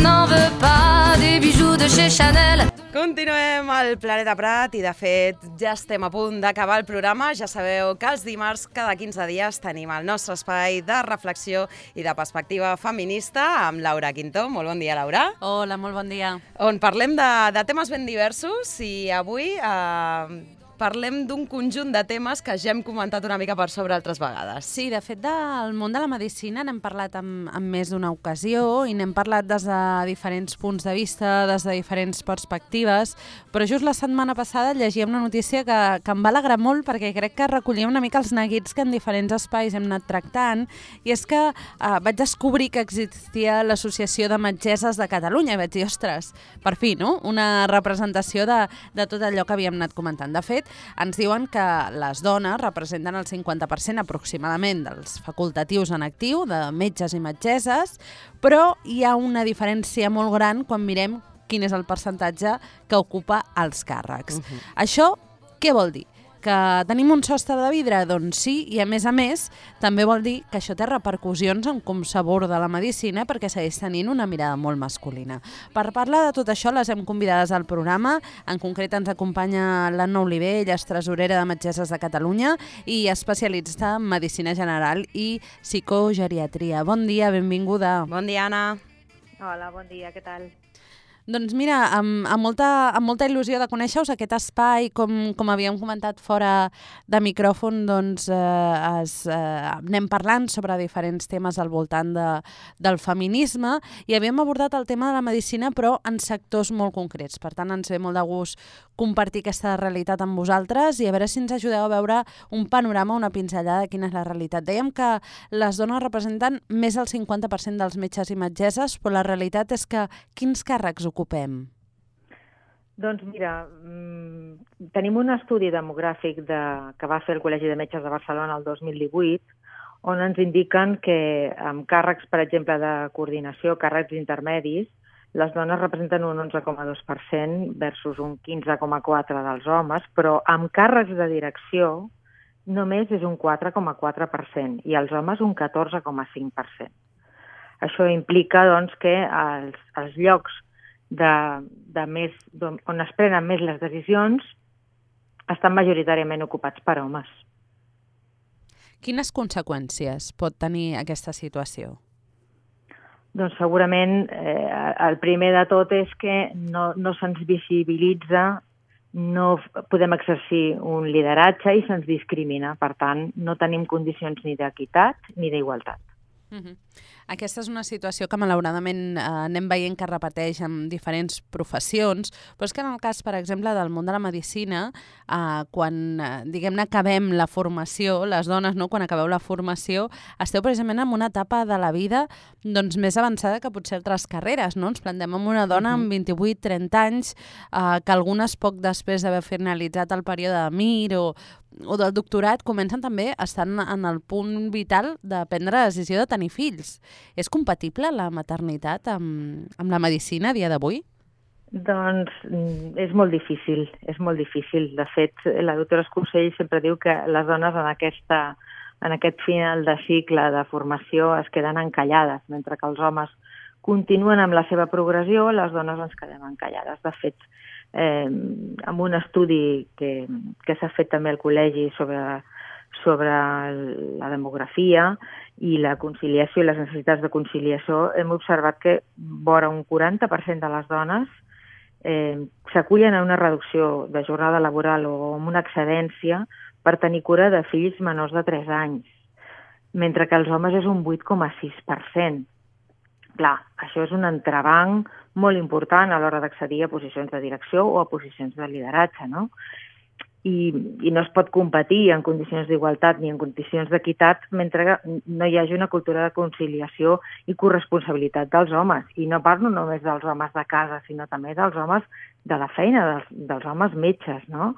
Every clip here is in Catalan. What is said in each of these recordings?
n'en veux pas des bijoux de chez Chanel. Continuem al Planeta Prat i, de fet, ja estem a punt d'acabar el programa. Ja sabeu que els dimarts, cada 15 dies, tenim el nostre espai de reflexió i de perspectiva feminista amb Laura Quintó. Molt bon dia, Laura. Hola, molt bon dia. On parlem de temes ben diversos i avui parlem d'un conjunt de temes que ja hem comentat una mica per sobre altres vegades. Sí, de fet, del món de la medicina n'hem parlat en més d'una ocasió i n'hem parlat des de diferents punts de vista, des de diferents perspectives, però just la setmana passada llegia una notícia que em va alegrar molt perquè crec que recollia una mica els neguits que en diferents espais hem anat tractant, i és que vaig descobrir que existia l'Associació de Metgesses de Catalunya i vaig dir, ostres, per fi, no? Una representació de tot allò que havíem anat comentant. De fet, ens diuen que les dones representen el 50% aproximadament dels facultatius en actiu, de metges i metgesses, però hi ha una diferència molt gran quan mirem quin és el percentatge que ocupa els càrrecs. Això què vol dir? Que tenim un sostre de vidre? Doncs sí, i a més també vol dir que això té repercussions en com s'aborda la medicina, perquè segueix tenint una mirada molt masculina. Per parlar de tot això les hem convidades al programa. En concret ens acompanya l'Anna Oliver, ella és tresorera de Metgesses de Catalunya i especialista en medicina general i psicogeriatria. Bon dia, benvinguda. Bon dia, Anna. Hola, bon dia, què tal? Doncs mira, amb molta il·lusió de conèixer-us, aquest espai, com havíem comentat fora de micròfon, doncs anem parlant sobre diferents temes al voltant del feminisme i havíem abordat el tema de la medicina però en sectors molt concrets. Per tant, ens ve molt de gust compartir aquesta realitat amb vosaltres i a veure si ens ajudeu a veure un panorama, una pinzellada de quina és la realitat. Dèiem que les dones representen més del 50% dels metges i metgesses, però la realitat és que quins càrrecs ocupem? Doncs mira, tenim un estudi demogràfic que va fer el Col·legi de Metges de Barcelona el 2018, on ens indiquen que amb càrrecs, per exemple, de coordinació, càrrecs intermedis, les dones representen un 11,2% versus un 15,4% dels homes, però amb càrrecs de direcció només és un 4,4% i els homes un 14,5%. Això implica doncs, que els llocs on es prenen més les decisions estan majoritàriament ocupats per homes. Quines conseqüències pot tenir aquesta situació? Doncs segurament el primer de tot és que no se'ns visibilitza, no podem exercir un lideratge i se'ns discrimina. Per tant, no tenim condicions ni d'equitat ni d'igualtat. Aquesta és una situació que malauradament anem veient que es repeteix en diferents professions, però és que en el cas, per exemple, del món de la medicina, quan, diguem-ne, acabem la formació, les dones, no, quan acabeu la formació, esteu precisament en una etapa de la vida doncs, més avançada que potser altres carreres, no? Ens plantem amb una dona amb 28-30 anys, que algunes poc després d'haver finalitzat el període de MIR o del doctorat comencen també a estar en el punt vital de prendre la decisió de tenir fills. És compatible la maternitat amb la medicina a dia d'avui? Doncs és molt difícil, és molt difícil. De fet, la doctora Escursell sempre diu que les dones en aquest final de cicle de formació es queden encallades, mentre que els homes continuen amb la seva progressió, les dones ens quedem encallades. De fet, amb un estudi que s'ha fet també al col·legi sobre la demografia i la conciliació i les necessitats de conciliació, hem observat que vora un 40% de les dones s'acullen a una reducció de jornada laboral o amb una excedència per tenir cura de fills menors de 3 anys, mentre que els homes és un 8,6%. Clar, això és un entrebanc molt important a l'hora d'accedir a posicions de direcció o a posicions de lideratge, no? I no es pot competir en condicions d'igualtat ni en condicions d'equitat mentre no hi hagi una cultura de conciliació i corresponsabilitat dels homes. I no parlo només dels homes de casa, sinó també dels homes de la feina, dels homes metges, no?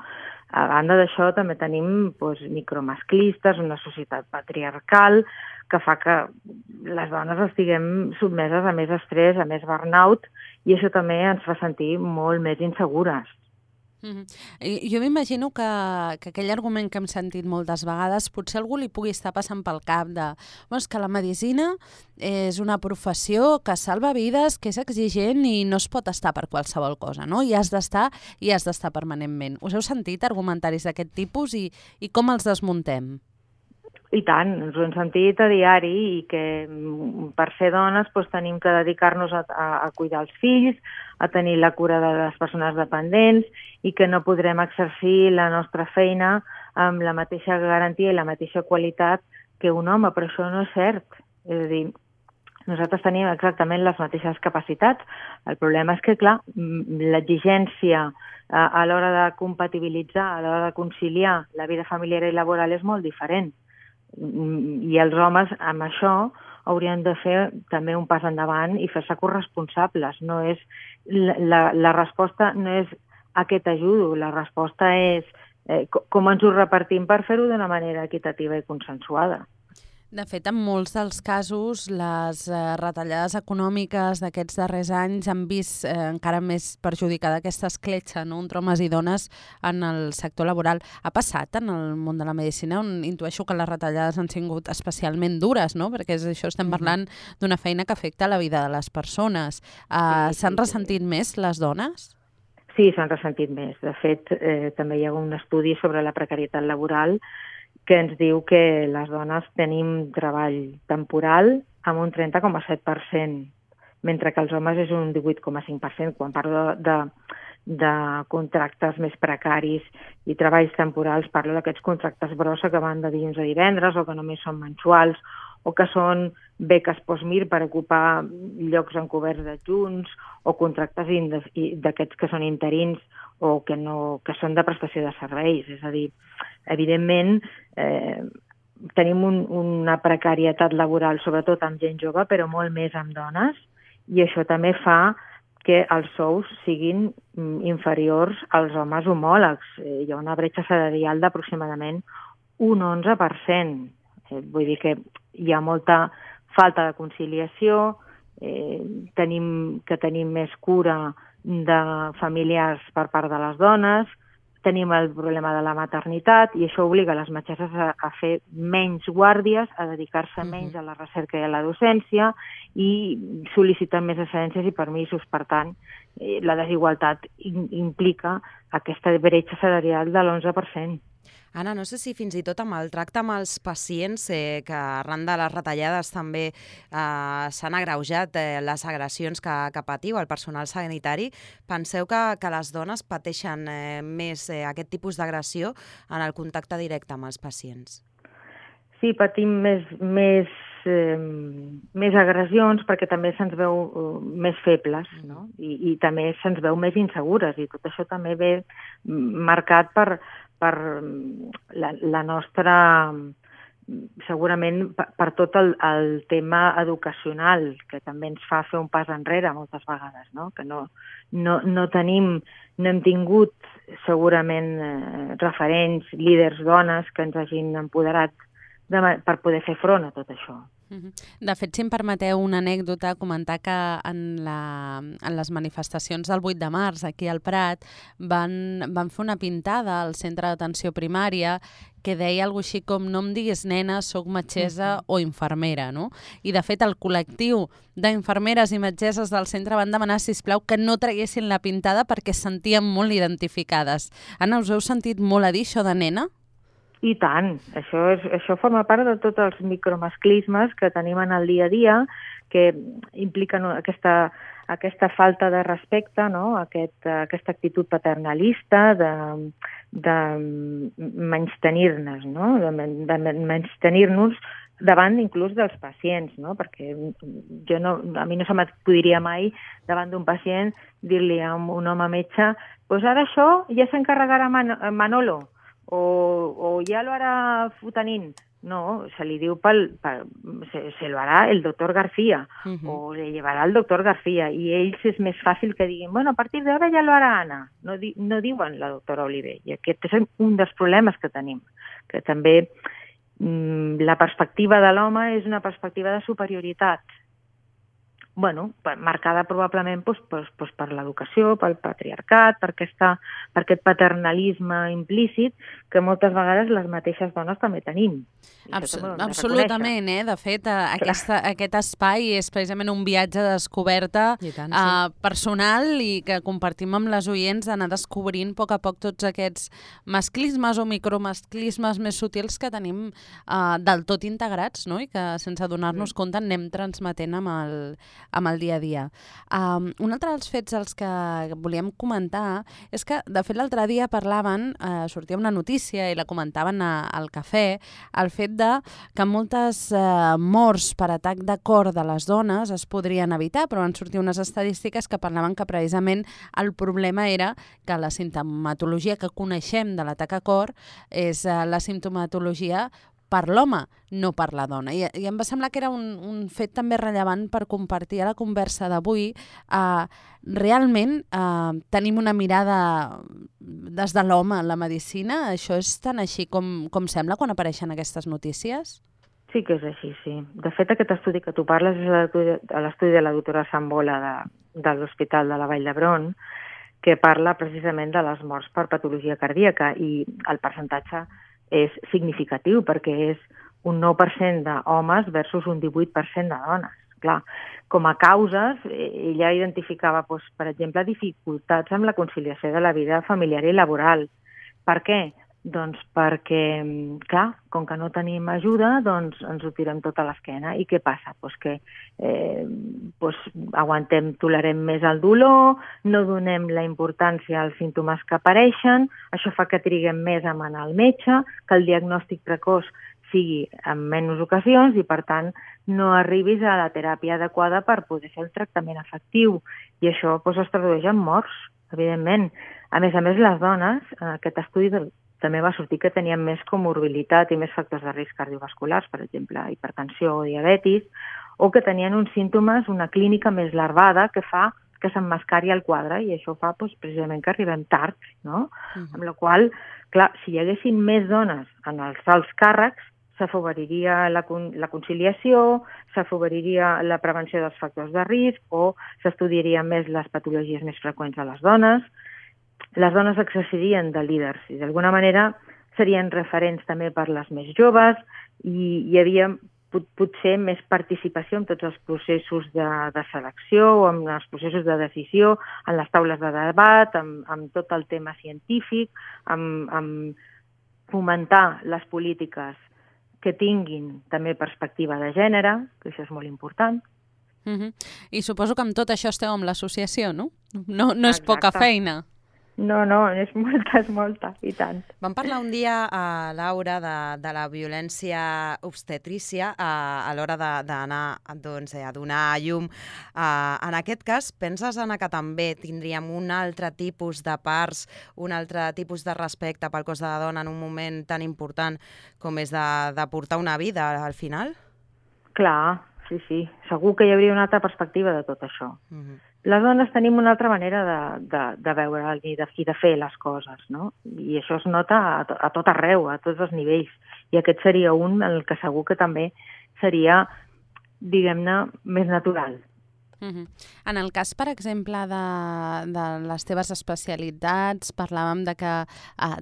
A banda d'això també tenim micromasclistes, una societat patriarcal que fa que les dones estiguem sotmeses a més estrès, a més burnout, i això també ens fa sentir molt més insegures. Jo m'imagino que aquell argument que hem sentit moltes vegades potser algú li pugui estar passant pel cap de és que la medicina és una professió que salva vides, que és exigent i no es pot estar per qualsevol cosa, no? I has d'estar permanentment. Us heu sentit argumentaris d'aquest tipus i com els desmuntem? I tant, ens ho hem sentit a diari i que per ser dones tenim que dedicar-nos a cuidar els fills, a tenir la cura de les persones dependents i que no podrem exercir la nostra feina amb la mateixa garantia i la mateixa qualitat que un home, però això no és cert. És a dir, nosaltres tenim exactament les mateixes capacitats. El problema és que, clar, l'exigència a l'hora de compatibilitzar, a l'hora de conciliar la vida familiar i laboral és molt diferent. I els homes amb això haurien de fer també un pas endavant i fer-se corresponsables. No és, la resposta no és a què t'ajudo, la resposta és com ens ho repartim per fer-ho d'una manera equitativa i consensuada. De fet, en molts dels casos, les retallades econòmiques d'aquests darrers anys han vist encara més perjudicada aquesta escletxa, no?, entre homes i dones en el sector laboral. Ha passat en el món de la medicina, on intueixo que les retallades han sigut especialment dures, no?, perquè això estem parlant d'una feina que afecta la vida de les persones. S'han ressentit més les dones? Sí, s'han ressentit més. De fet, també hi ha un estudi sobre la precarietat laboral que ens diu que les dones tenim treball temporal amb un 30,7%, mentre que els homes és un 18,5%. Quan parlo de contractes més precaris i treballs temporals, parlo d'aquests contractes brossa que van de dilluns a divendres o que només són mensuals o que són beques post-mir per ocupar llocs encoberts d'adjunts o contractes d'aquests que són interins o que són de prestació de serveis. És a dir, evidentment, tenim una precarietat laboral, sobretot amb gent jove, però molt més amb dones, i això també fa que els sous siguin inferiors als homes homòlegs. Hi ha una bretxa salarial d'aproximadament un 11%. Vull dir que hi ha molta falta de conciliació, tenim més cura de familiars per part de les dones, tenim el problema de la maternitat i això obliga les metgesses a fer menys guàrdies, a dedicar-se menys a la recerca i a la docència i sol·liciten més excedències i permisos. Per tant, la desigualtat implica aquesta bretxa salarial de l'11%. Anna, no sé si fins i tot amb el tracte amb els pacients, que arran de les retallades també s'han agreujat les agressions que patiu el personal sanitari, penseu que les dones pateixen més aquest tipus d'agressió en el contacte directe amb els pacients? Sí, patim més agressions perquè també se'ns veu més febles, no? I també se'ns veu més insegures i tot això també ve marcat per la nostra, segurament per tot el tema educacional, que també ens fa fer un pas enrere moltes vegades, no? Que no hem tingut segurament referents, líders dones que ens hagin empoderat per poder fer front a tot això. De fet, si em permeteu una anècdota, comentar que en les manifestacions del 8 de març aquí al Prat van fer una pintada al centre d'atenció primària que deia alguna cosa així com no em diguis nena, soc metgessa o infermera, no? I de fet el col·lectiu d'infermeres i metgesses del centre van demanar, sisplau, que no traguessin la pintada perquè es sentien molt identificades. Anna, us heu sentit molt a dir això de nena? I tant, això forma part de tots els micromasclismes que tenim en el dia a dia, que impliquen aquesta falta de respecte, no? Aquesta actitud paternalista de menystenir-nos, no? De menystenir-nos davant inclús dels pacients, no? Perquè a mi no se m'acudiria mai davant d'un pacient dir-li a un home metge «Pues ara això ja s'encarregarà Manolo», o ya lo hará Futanín. No, se li diu se lo hará el doctor García, o le llevará el doctor García, i ells és més fàcil que diguin, bueno, a partir d'ara ja lo hará Anna. No diuen la doctora Oliver, i aquest és un dels problemes que tenim, que també la perspectiva de l'home és una perspectiva de superioritat, marcada probablement per l'educació, pel patriarcat, per aquest paternalisme implícit que moltes vegades les mateixes dones també tenim. Absolutament, de fet, aquest espai és precisament un viatge de descoberta personal i que compartim amb les oients, d'anar descobrint a poc tots aquests masclismes o micromasclismes més sutils que tenim del tot integrats, no? I que sense donar-nos compte anem transmetent amb el dia a dia. Un altre dels fets els que volíem comentar és que, de fet, l'altre dia parlaven, sortia una notícia i la comentaven al cafè, el fet que moltes morts per atac de cor de les dones es podrien evitar, però van sortir unes estadístiques que parlaven que precisament el problema era que la simptomatologia que coneixem de l'atac a cor és la simptomatologia per l'home, no per la dona. I em va semblar que era un fet també rellevant per compartir a la conversa d'avui. Realment tenim una mirada des de l'home en la medicina? Això és tan així com sembla quan apareixen aquestes notícies? Sí que és així, sí. De fet, aquest estudi que tu parles és l'estudi de la doctora Sambola de l'Hospital de la Vall d'Hebron, que parla precisament de les morts per patologia cardíaca, i el percentatge és significatiu perquè és un 9% d'homes versus un 18% de dones. Clar, com a causes, ella identificava, per exemple, dificultats amb la conciliació de la vida familiar i laboral. Per què? Doncs perquè, clar, com que no tenim ajuda, doncs ens ho tirem tot a l'esquena. I què passa? Que tolerem més el dolor, no donem la importància als símptomes que apareixen, això fa que triguem més a anar al metge, que el diagnòstic precoç sigui en menys ocasions i, per tant, no arribis a la teràpia adequada per poder fer el tractament efectiu. I això es tradueix en morts, evidentment. A més, les dones, en aquest estudi també va sortir que tenien més comorbilitat i més factors de risc cardiovasculars, per exemple, hipertensió o diabetis, o que tenien uns símptomes, una clínica més larvada que fa que s'emmascari el quadre, i això fa precisament que arribem tard, no? Amb la qual cosa, clar, si hi haguessin més dones en els alts càrrecs, s'afavoriria la conciliació, s'afavoriria la prevenció dels factors de risc o s'estudiarien més les patologies més freqüents a les dones. Les dones exercirien de líders i d'alguna manera serien referents també per les més joves i hi havia potser més participació en tots els processos de selecció o en els processos de decisió, en les taules de debat, amb tot el tema científic, amb fomentar les polítiques que tinguin també perspectiva de gènere, que això és molt important. I suposo que amb tot això esteu amb l'associació, no? No és poca feina. No, és molta, i tant. Vam parlar un dia, Laura, de la violència obstetrícia a l'hora d'anar a donar a llum. En aquest cas, penses, Anna, que també tindríem un altre tipus de parts, un altre tipus de respecte pel cos de la dona en un moment tan important com és de portar una vida al final? Clar, sí. Segur que hi hauria una altra perspectiva de tot això. Les dones tenim una altra manera de veure i de fer les coses, no? I això es nota a tot arreu, a tots els nivells. I aquest seria un en el que segur que també seria, diguem-ne, més natural. En el cas, per exemple, de les teves especialitats, parlàvem de que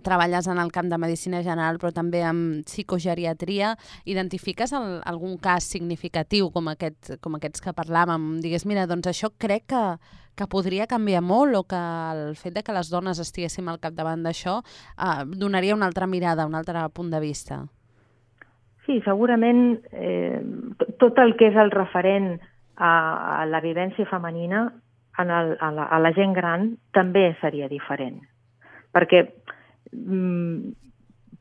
treballes en el camp de medicina general, però també amb psicogeriatria. Identifiques algun cas significatiu com aquests que parlàvem? Digues, mira, doncs això crec que podria canviar molt, o que el fet de que les dones estiguéssim al capdavant d'això donaria una altra mirada, un altre punt de vista. Sí, segurament tot el que és el referent a la vivència femenina a la gent gran també seria diferent. Perquè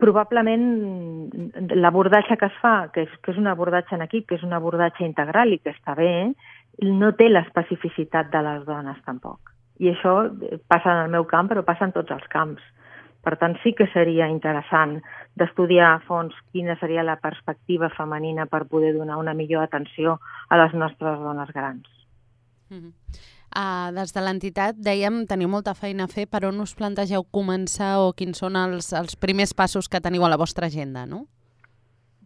probablement l'abordatge que es fa, que és un abordatge en equip, que és un abordatge integral i que està bé, no té l'especificitat de les dones tampoc. I això passa en el meu camp, però passa en tots els camps. Per tant, sí que seria interessant d'estudiar a fons quina seria la perspectiva femenina per poder donar una millor atenció a les nostres dones grans. Des de l'entitat, dèiem, teniu molta feina a fer. Per on us plantegeu començar o quins són els primers passos que teniu a la vostra agenda, no?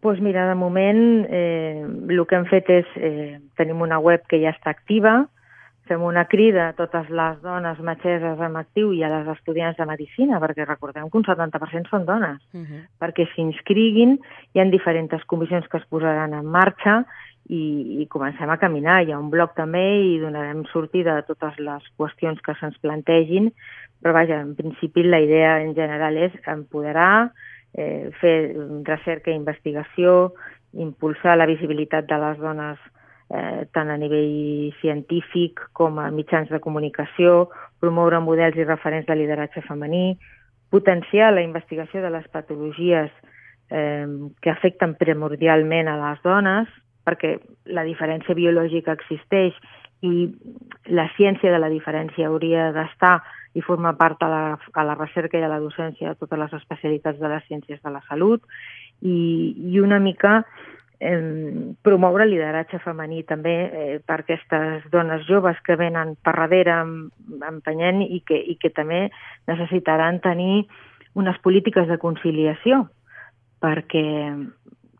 Doncs mira, de moment el que hem fet és, tenim una web que ja està activa, fem una crida a totes les dones metgesses en actiu i a les estudiants de medicina, perquè recordem que un 70% són dones, perquè s'inscriguin, hi ha diferents comissions que es posaran en marxa i comencem a caminar. Hi ha un blog també i donarem sortida a totes les qüestions que se'ns plantegin, però vaja, en principi la idea en general és empoderar, fer recerca i investigació, impulsar la visibilitat de les dones tant a nivell científic com a mitjans de comunicació, promoure models i referents de lideratge femení, potenciar la investigació de les patologies que afecten primordialment a les dones, perquè la diferència biològica existeix i la ciència de la diferència hauria d'estar i formar part a la recerca i a la docència de totes les especialitats de les ciències de la salut i una mica promoure el lideratge femení també per aquestes dones joves que venen per darrere empenyent i que també necessitaran tenir unes polítiques de conciliació perquè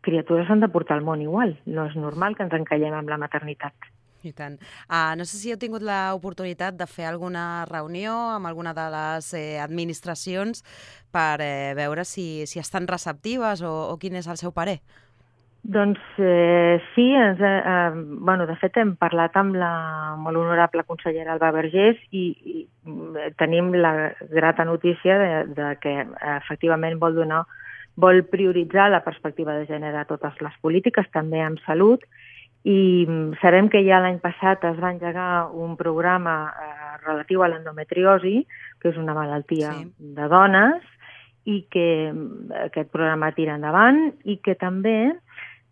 criatures s'han de portar al món igual. No és normal que ens encallem amb la maternitat. I tant. No sé si heu tingut l'oportunitat de fer alguna reunió amb alguna de les administracions per veure si estan receptives o quin és el seu parer. Doncs sí, de fet hem parlat amb la molt honorable consellera Alba Vergés i tenim la grata notícia de que efectivament vol prioritzar la perspectiva de gènere a totes les polítiques, també en salut, i sabem que ja l'any passat es va engegar un programa relatiu a l'endometriosi, que és una malaltia de dones, i que aquest programa tira endavant i que també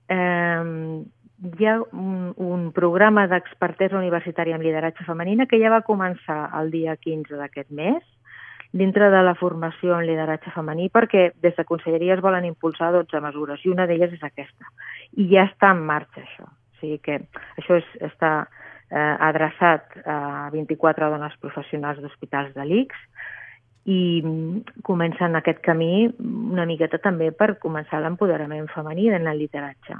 hi ha un programa d'expertesa universitària en lideratge femenina que ja va començar el dia 15 d'aquest mes, dintre de la formació en lideratge femení, perquè des de Conselleria es volen impulsar 12 mesures, i una d'elles és aquesta. I ja està en marxa, això. O sigui que això està adreçat a 24 dones professionals d'hospitals de l'ICS i comencen aquest camí una miqueta també per començar l'empoderament femení en el lideratge.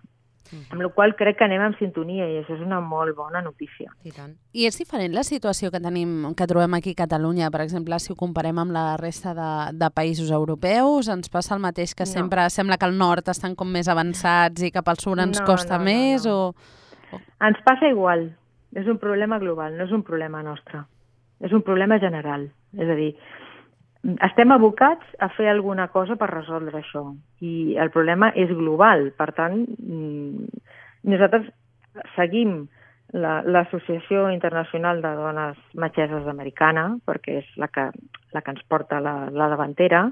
Amb la qual crec que anem en sintonia i això és una molt bona notícia. I és diferent la situació que trobem aquí a Catalunya, per exemple, si ho comparem amb la resta de països europeus? Ens passa el mateix que sempre sembla que al nord estan com més avançats i cap al sud ens costa més? Ens passa igual. És un problema global, no és un problema nostre. És un problema general. És a dir, estem abocats a fer alguna cosa per resoldre això i el problema és global. Per tant, nosaltres seguim l'Associació Internacional de Dones Metgesses Americana, perquè és la que ens porta la davantera,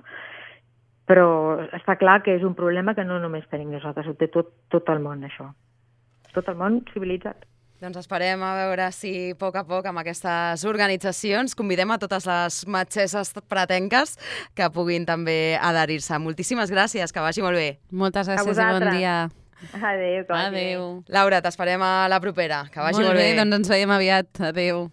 però està clar que és un problema que no només tenim nosaltres, ho té tot el món, això. Tot el món civilitzat. Doncs esperem a veure si a poc amb aquestes organitzacions convidem a totes les metgesses pretenques que puguin també adherir-se. Moltíssimes gràcies, que vagi molt bé. Moltes gràcies i bon dia. Adéu. Adéu. Laura, t'esperem a la propera, que vagi molt bé. Doncs ens veiem aviat. Adéu.